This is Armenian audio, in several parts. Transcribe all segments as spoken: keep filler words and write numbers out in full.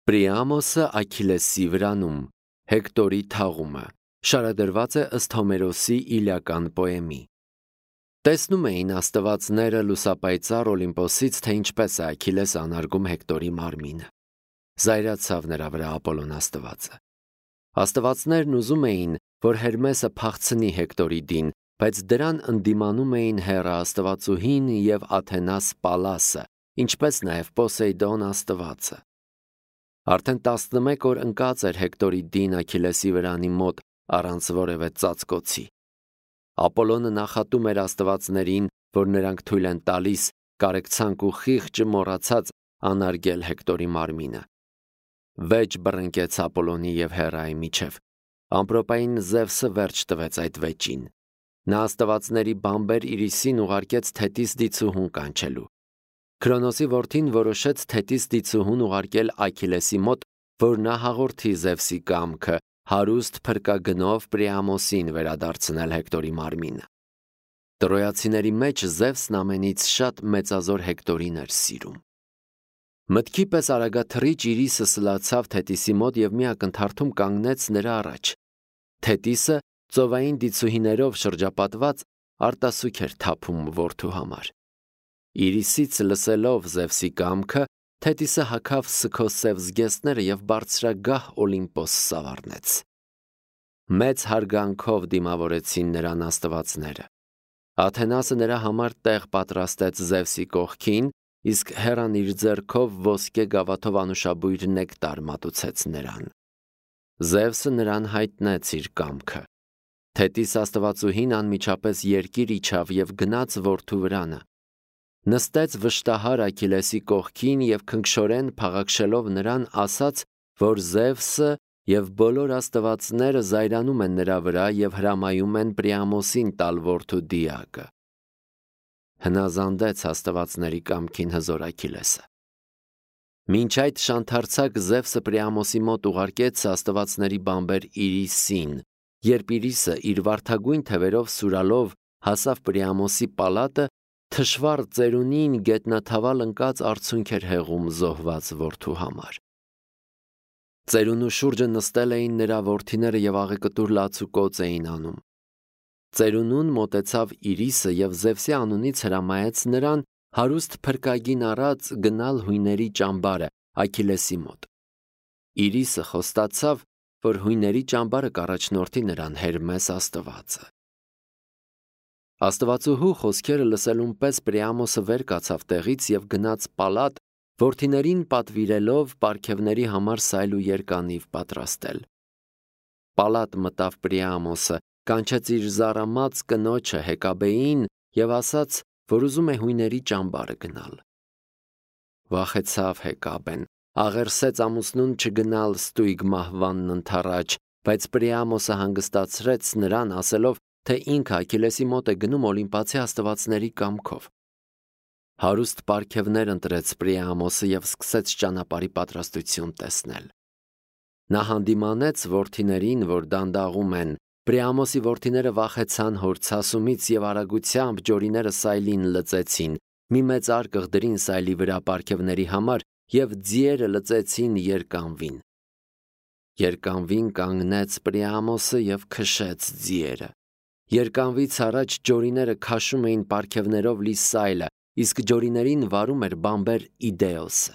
Պրիամոսը Աքիլեսի վրանում, Հեկտորի թաղումը, շարադրված է ըստ Հոմերոսի Իլիական պոեմի։ Տեսնում էին աստվածները լուսապայծառ Օլիմպոսից, թե ինչպես է Աքիլեսը անարգում Հեկտորի մարմինը։ Զայրացավ նրա վրա Ապոլոն աստվածը։ Աստվածներն ուզում էին, որ Հերմեսը փախցնի Հեկտորի դին, բայց դրան ընդդիմանում էին Հեռա աստվածուհին և Աթենաս Պալասը, ինչպես նաև Պոսեյդոն աստվածը։ Արդեն տասնմեկ օր ընկած էր Հեկտորի դին Աքիլեսի վրանի մոտ առանց որևէ ծածկոցի։ Ապոլոնը նախատում էր աստվածներին, որ նրանք թույլ են տալիս կարեկցանք ու խիղճը մոռացած անարգել Հեկտորի մարմինը։ Վեճ բռնկեց Ապոլոնի և Հեռայի միջև։ Ամպրոպային Զևսը վերջ տվեց այդ վեճին։ Նա աստվածների բամբեր Իրիսին ուղարկեց թետիս դիցուհուն կանչելու։ Քրոնոսի որդին որոշեց թետիս դիցուհուն ուղարկել Աքիլեսի մոտ, որ նա հաղորդի Զևսի կամքը հարուստ փրկագնով Պրիամոսին վերադարձնել Հեկտորի մարմինը։ Տրոյացիների մեջ Զևսն ամենից շատ մեծազոր Հեկտորին էր սիրում։ Մտքի պես արագաթռիչ Իրիսը սլացավ թետիսի մոտ և մի ակնթարթում կանգնեց նրա առաջ։ Թետիսը ծովային դիցուհիներով շրջապատված արտասուք էր թափում որդու համար։ Իրիսից լսելով Զևսի կամքը, թետիսը հագավ սգոսև զգեստները և բարձրագահ Օլիմպոս սավառնեց։ Մեծ հարգանքով դիմավորեցին նրան աստվածները։ Աթենասը նրա համար տեղ պատրաստեց Զևսի կողքին, իսկ Հեռան իր ձեռքով ոսկե գավաթով անուշաբույր նեկտար մատուցեց նրան։ Զևսը նրան հայտնեց իր կամքը։ Թետիս աստվածուհին անմիջապես երկիր իջավ և գնաց որդու վրանը։ Նստեց վշտահար Աքիլեսի կողքին և քնքշորեն փաղաքշելով նրան ասաց, որ Զևսը և բոլոր աստվածները զայրանում են նրա վրա և հրամայում են Պրիամոսին տալ որդու դիակը։ Հնազանդեց աստվածների կամքին հզոր Աքիլեսը։ Մինչ այդ շանթարցակ Զևսը Պրիամոսի մոտ ուղարկեց աստվածների բամբեր Իրիսին, երբ Իրիսը իր վարդագույն թևերով սուրալով հասավ Պրիամոսի պալատը, թշվառ ծերունին գետնաթավալ ընկած արցունք էր հեղում զոհված որդու համար։ Ծերունու շուրջը նստել էին նրա որդիները և աղեկտուր լացուկոծ էին անում։ Ծերունուն մոտեցավ Իրիսը և Զևսի անունից հրամայեց նրան հարուստ փրկագին առած գնալ հույների ճամբարը Աքիլեսի մոտ։ Իրիսը խոստացավ, որ հույների ճամբարը կառաջնորդի նրան Հերմես աստվածը։ Աստվածուհու խոսքերը լսելուն պես Պրիամոսը վեր կացավ տեղից և գնաց պալատ, որդիներին պատվիրելով պարգևների համար սայլ ու երկանիվ պատրաստել։ Պալատ մտավ Պրիամոսը, կանչեց իր զառամած կնոջը Հեկաբեին և ասաց, որ ուզում է հույների ճամբարը գնալ։ Վախեցավ Հեկաբեն, աղերսեց ամուսնուն չգնալ ստույգ մահվանն ընդառաջ, բայց Պրիամոսը հանգստացրեց նրան, ասելով, թե ինքը Աքիլեսի մոտ է գնում օլիմպացի աստվածների կամքով։ Հարուստ պարգևներ ընտրեց Պրիամոսը և սկսեց ճանապարհի պատրաստություն տեսնել։ Նա հանդիմանեց որդիներին, որ դանդաղում են։ Պրիամոսի որդիները վախեցան հոր ցասումից և արագությամբ ջորիները սայլին լծեցին, մի մեծ արկղ դրին սայլի վրա պարգևների համար և ձիերը լծեցին երկանվին։ Երկանվին կանգնեց Պրիամոսը և քշեց ձիերը։ Երկանվից առաջ ջորիները քաշում էին պարգևներով լի սայլը, իսկ ջորիներին վարում էր բամբեր Իդեոսը։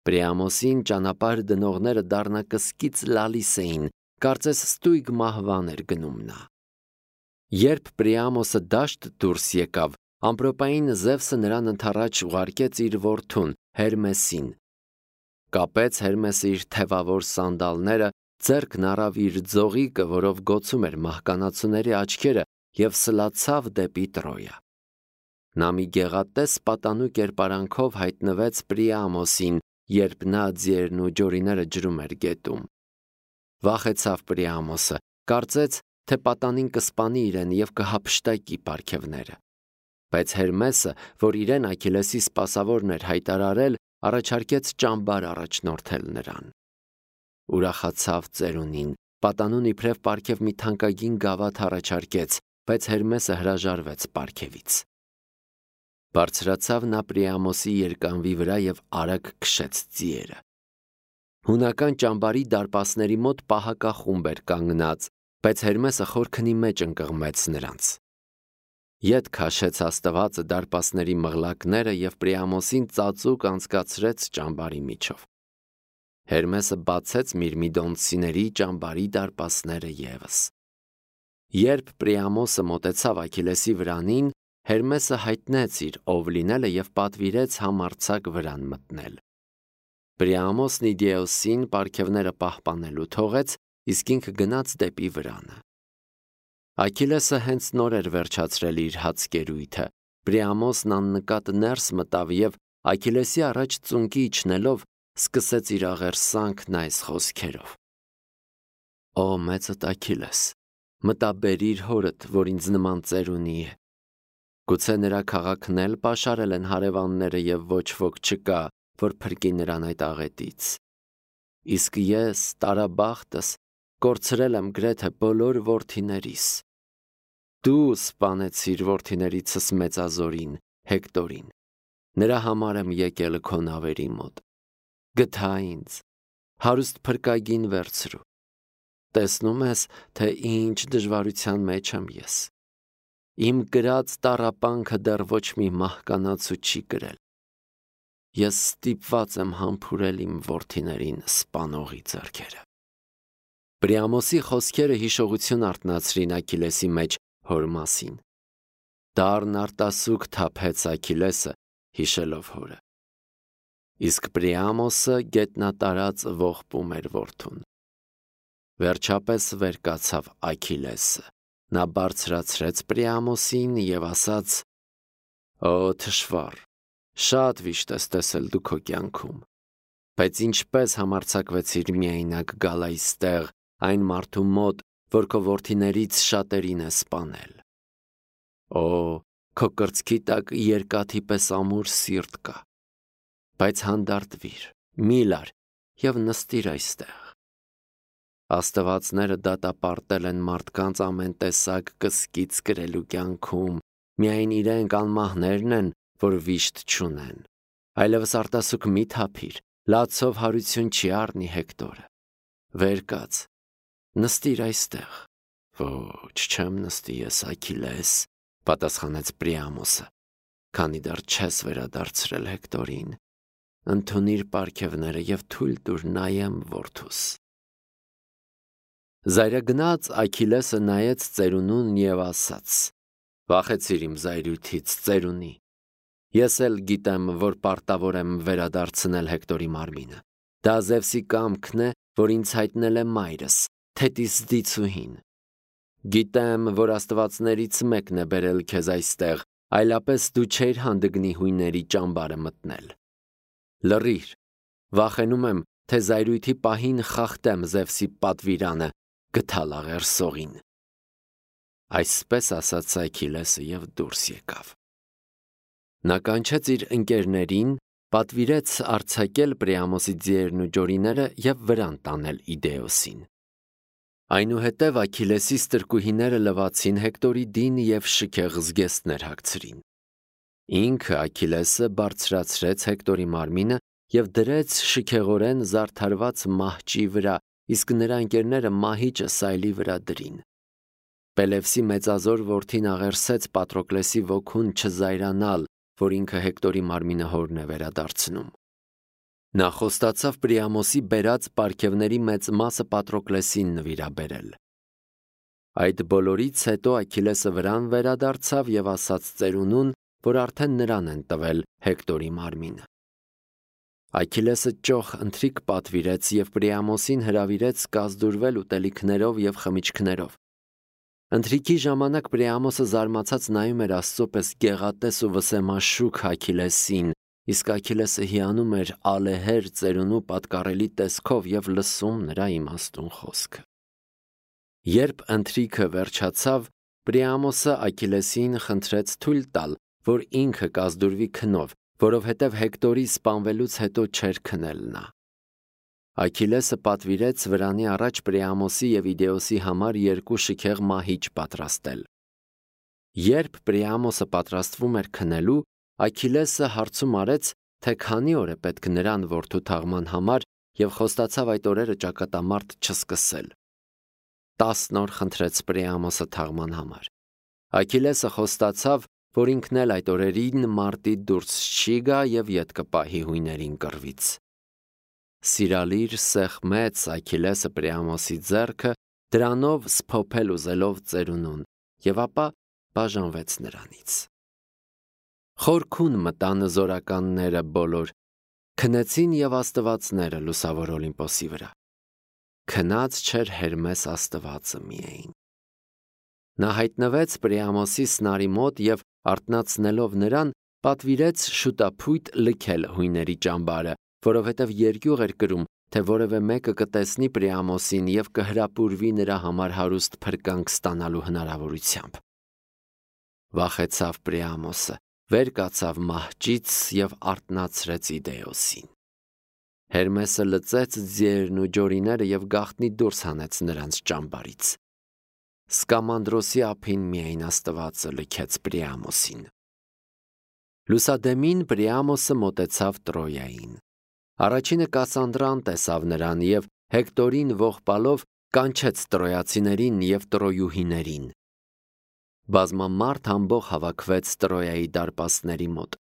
Պրիամոսին ճանապարհ դնողները դառնակսկից լալիս էին, կարծես ստույգ մահվան էր գնում նա։ Երբ Պրիամոսը դաշտ դուրս եկավ, ամպրոպային Զևսը նրան ընդառաջ ուղարկեց իր որդուն Հերմեսին։ Կապեց Հերմեսը իր թևավոր սանդալները, ձեռքն առավ իր ձողիկը, որով գոցում էր մահկանացուների աչքերը, և սլացավ դեպի Տրոյա։ Նա մի գեղատես պատանու կերպարանքով հայտնվեց Պրիամոսին, երբ նա ձիերն ու ջորիները ջրում էր գետում։ Վախեցավ Պրիամոսը, կարծեց, թե պատանին կսպանի իրեն և կհափշտակի պարգևները։ Բայց Հերմեսը, որ իրեն Աքիլեսի սպասավորն էր հայտարարել, առաջարկեց ճամբար առաջնորդել նրան։ Ուրախացավ ծերունին, պատանուն իբրև պարգև մի թանկագին գավաթ առաջարկեց, բայց Հերմեսը հրաժարվեց պարգևից։ Բարձրացավ նա Պրիամոսի երկանվի վրա և արագ քշեց ձիերը։ Հունական ճամբարի դարպասների մոտ պահակախումբ էր կանգնած, բայց Հերմեսը խորքնի մեջ ընկղմեց նրանց։ Ետ քաշեց Աստվածը դարպասների մղլակները և Պրիամոսին ծածուկ անցկացրեց ճամբարի միջով։ Հերմեսը բացեց Միրմիդոնցիների ճամբարի դարպասները ևս։ Երբ Պրիամոսը մոտեցավ Աքիլեսի վրանին, Հերմեսը հայտնեց իր ով լինելը և պատվիրեց համարձակ վրան մտնել։ Պրիամոսն Իդեոսին պարգևները պահպանելու թողեց, իսկ ինքը գնաց դեպի վրանը։ Աքիլեսը հենց նոր էր վերջացրել իր հացկերույթը։ Պրիամոսն աննկատ ներս մտավ և Աքիլեսի առաջ ծունկի իջնելով սկսեց իր աղերսանքն այս խոսքերով. «Ո մեծդ Աքիլես, մտաբերիր հորդ, որ ինձ նման ծեր ունի է։ Գուցե նրա քաղաքն էլ պաշարել են հարևանները և ոչ ոք չկա, որ փրկի նրան այդ աղետից։ Իսկ ես, տարաբախտս, կորցրել եմ գրեթե բոլոր որդիներիս։ Դու սպանեցիր որդիներիցս մեծազորին, Հեկտորին, նրա համար եմ եկել քո նավերի մոտ։ Գթա ինձ, հարուստ փրկագին վերցրու։ Տեսնում ես, թե ինչ դժվարության մեջ եմ ես։ Իմ կրած տառապանքը դեռ ոչ մի մահկանացու չի կրել։ Ես ստիպված եմ համբուրել իմ որդիներին սպանողի ձեռքերը»։ Պրիամոսի խոսքերը հիշողություն արթնացրին Աքիլեսի մեջ հոր մասին։ Դառն արտասուք թափեց Աքիլեսը, հիշելով հորը։ Իսկ Պրիամոսը գետնատարած ողբում էր որդուն։ Վերջապես վեր կացավ Աքիլեսը։ Նա բարձրացրեց Պրիամոսին և ասաց. «Օ թշվառ, շատ վիշտ ես տեսել դու քո կյանքում, բայց ինչպես համարձակվեցիր միայնակ գալ այստեղ այն մարդու մոտ, որ քո որդիներից շատերին է սպանել։ Օ, քո կրծքի տակ երկաթի պես ամուր սիրտ կա, բայց հանդարտվիր, մի լար և նստիր այստեղ։ Աստվածները դատապարտել են մարդկանց ամեն տեսակ կսկիծ կրելու կյանքում, միայն իրենք անմահներն են, որ վիշտ չունեն։ Այլևս արտասուք մի թափիր, լացով հարություն չի առնի Հեկտորը։ Վեր կաց, նստիր այստեղ։ Ոչ, չեմ նստի ես, Աքիլես, պատասխանեց Պրիամոսը, քանի դեռ չես վերադարձրել Հեկտորին։ Ընդունիր պարգևները և թույլ տուր նայեմ որդուս։ Զայրագնաց Աքիլեսը նայեց ծերունուն և ասաց. «Վախեցիր իմ զայրույթից, ծերունի։ Ես էլ գիտեմ, որ պարտավոր եմ վերադարձնել Հեկտորի մարմինը։ Դա Զևսի կամքն է, որ ինձ հայտնել է մայրս, թետիս դիցուհին։ Գիտեմ, որ աստվածներից մեկն է բերել քեզ այստեղ, այլապես դու չէիր հանդգնի հույների ճամբարը մտնել։ Լռիր, վախենում եմ, թե զայրույթի պահին խախտեմ Զևսի պատվիրանը, գթալ աղերսողին»։ Այսպես ասաց Աքիլեսը և դուրս եկավ։ Նա կանչեց իր ընկերներին, պատվիրեց արձակել Պրիամոսի ձիերն ու ջորիները և վրան տանել Իդեոսին։ Այնուհետև Աքիլեսի ստրկուհիները լվացին Հեկտորի դին և շքեղ զգեստներ հագցրին։ Ինքը Աքիլեսը բարձրացրեց Հեկտորի մարմինը և դրեց շքեղորեն զարդարված մահճի վրա, իսկ նրա ընկերները մահիճը սայլի վրա դրին։ Պելևսի մեծազոր որդին աղերսեց Պատրոկլեսի ոգուն չզայրանալ, որ ինքը Հեկտորի մարմինը հորն է վերադարձնում։ Նա խոստացավ Պրիամոսի բերած պարգևների մեծ մասը Պատրոկլեսին նվիրաբերել։ Այդ բոլորից հետո Աքիլեսը վրան վերադարձավ և ասաց ծերունուն, որ արդեն նրան են տվել Հեկտորի մարմինը։ Աքիլեսը ճոխ ընթրիք պատվիրեց և Պրիամոսին հրավիրեց կազդուրվել ուտելիքներով և խմիչքներով։ Ընթրիքի ժամանակ Պրիամոսը զարմացած նայում էր Աստծո պես գեղատես ու վսեմաշուք Աքիլեսին, իսկ Աքիլեսը հիանում էր ալեհեր ծերունու պատկառելի տեսքով և լսում նրա իմաստուն խոսքը։ Երբ ընթրիքը վերջացավ, Պրիամոսը Աքիլեսին խնդրեց թույլ տալ, որ ինքը կազդուրվի քնով, որովհետև Հեկտորի սպանվելուց հետո չէր քնել նա։ Աքիլեսը պատվիրեց վրանի առաջ Պրիամոսի և Իդեոսի համար երկու շքեղ մահիճ պատրաստել։ Երբ Պրիամոսը պատրաստվում էր քնելու, Աքիլեսը հարցում արեց, թե քանի օր է պետք նրան որդու թաղման համար և խոստացավ այդ օրերը ճակատամարտ չսկսել։ Տասն օր խնդրեց Պրիամոսը թաղման համար։ Աքիլեսը խոստացավ, որ ինքն էլ այդ օրերին մարտի դուրս չի գա և ետ կպահի հույներին կռվից։ Սիրալիր սեղմեց Աքիլեսը Պրիամոսի ձեռքը, դրանով սփոփել ուզելով ծերունուն, և ապա բաժանվեց նրանից։ Խորքուն մտան զորականները բոլոր, քնեցին և աստվածները լուսավոր Օլիմպոսի վրա։ Քնած չէր Հերմես աստվածը միայն։ Նա հայտնվեց Պրիամոսի սնարի մոտ և արթնացնելով նրան, պատվիրեց շուտափույթ լքել հույների ճամբարը, որովհետև երկյուղ էր կրում, թե որևէ մեկը կտեսնի Պրիամոսին և կհրապուրվի նրա համար հարուստ փրկանք ստանալու հնարավորությամբ։ Վախեցավ Պրիամոսը, վեր կացավ մահճից և արթնացրեց Իդեոսին։ Հերմեսը լծեց ձիերն ու ջորիները և գաղտնի դուրս հանեց նրանց ճամբարից։ Սկամանդրոսի ափին միայն աստվածը լքեց Պրիամոսին։ Լուսադեմին Պրիամոսը մոտեցավ Տրոյային։ Առաջինը Կասանդրան տեսավ նրան և Հեկտորին ողբալով կանչեց տրոյացիներին և տրոյուհիներին։ Բազմամարդ ամբոխ հավաքվեց Տրոյայի դարպասների մոտ։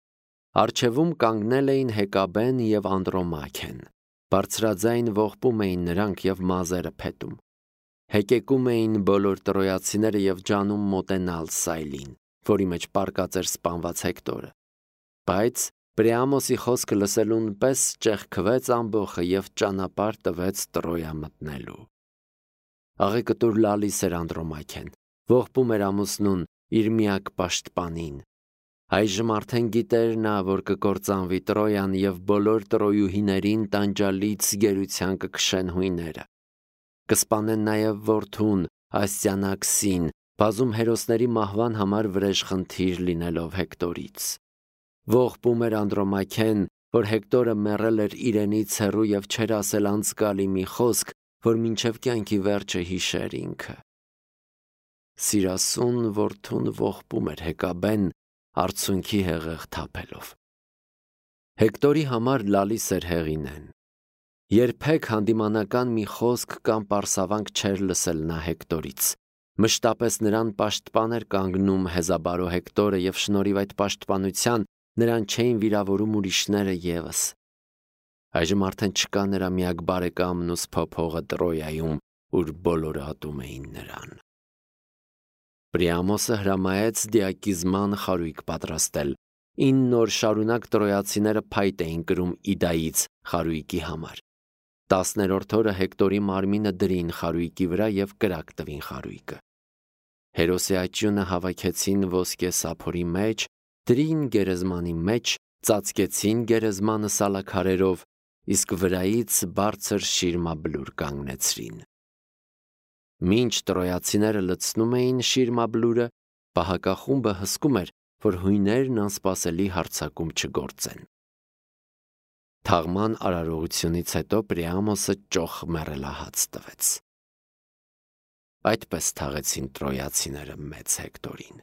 Առջևում կանգնել էին Հեկաբեն և Անդրոմաքեն։ Բարձրաձայն ողբում էին նրանք և մազերը փետում։ Հեկեկում էին բոլոր տրոյացիները և ջանում մոտենալ Սայլին, որի մեջ պառկած էր սպանված Հեկտորը։ Բայց Պրիամոսի խոսքը լսելուն պես ճեղքվեց ամբոխը և ճանապարհ տվեց Տրոյա մտնելու։ Աղեկտուր լալիս էր Անդրոմաքեն, ողբում էր ամուսնուն, իր միակ պաշտպանին։ Այժմ արդեն գիտեր նա, որ կկործանվի Տրոյան և բոլոր տրոյուհիներին տանջալից գերության կքշեն հույները։ Կսպանեն նաև որդուն, Ասիանաքսին, բազում հերոսների մահվան համար վրեժխնդիր լինելով Հեկտորից։ Ողբում էր Անդրոմաքեն, որ Հեկտորը մեռել էր իրենից հեռու և չէր ասել անցկալի մի խոսք, որ մինչև կյանքի վերջը հիշեր ինքը։ Սիրասուն որդուն ողբում էր Հեկաբեն, արցունքի հեղեղ թափելով։ Հեկտորի համար լալիս էր Հեղինեն։ Երբեք հանդիմանական մի խոսք կամ պարսավանք չէր լսել նա Հեկտորից։ Մշտապես նրան պաշտպան էր կանգնում հեզաբարո Հեկտորը և շնորհիվ այդ պաշտպանության նրան չէին վիրավորում ուրիշները ևս։ Այժմ արդեն չկա նրա միակ բարեկամն ու սփոփողը Տրոյայում, ուր բոլորը ատում էին նրան։ Պրիամոսը հրամայեց դիակիզման խարույկ պատրաստել։ Ինն օր շարունակ տրոյացիները փայտ էին կրում Իդայից խարույկի համար։ Տասներորդ օրը Հեկտորի մարմինը դրին խարույկի վրա և կրակ տվին խարույկը։ Հերոսի աճյունը հավաքեցին ոսկե սափորի մեջ, դրին գերեզմանի մեջ, ծածկեցին գերեզմանը սալաքարերով, իսկ վրայից բարձր շիրմաբլուր կանգնեցրին։ Մինչ տրոյացիները լցնում էին շիրմաբլուրը, պահակախումբը հսկում էր, որ հույներն անսպասելի հարձակում չգործեն։ Թաղման արարողությունից հետո Պրիամոսը ճոխ մեռելահաց տվեց։ Այդպես թաղեցին տրոյացիները մեծ Հեկտորին։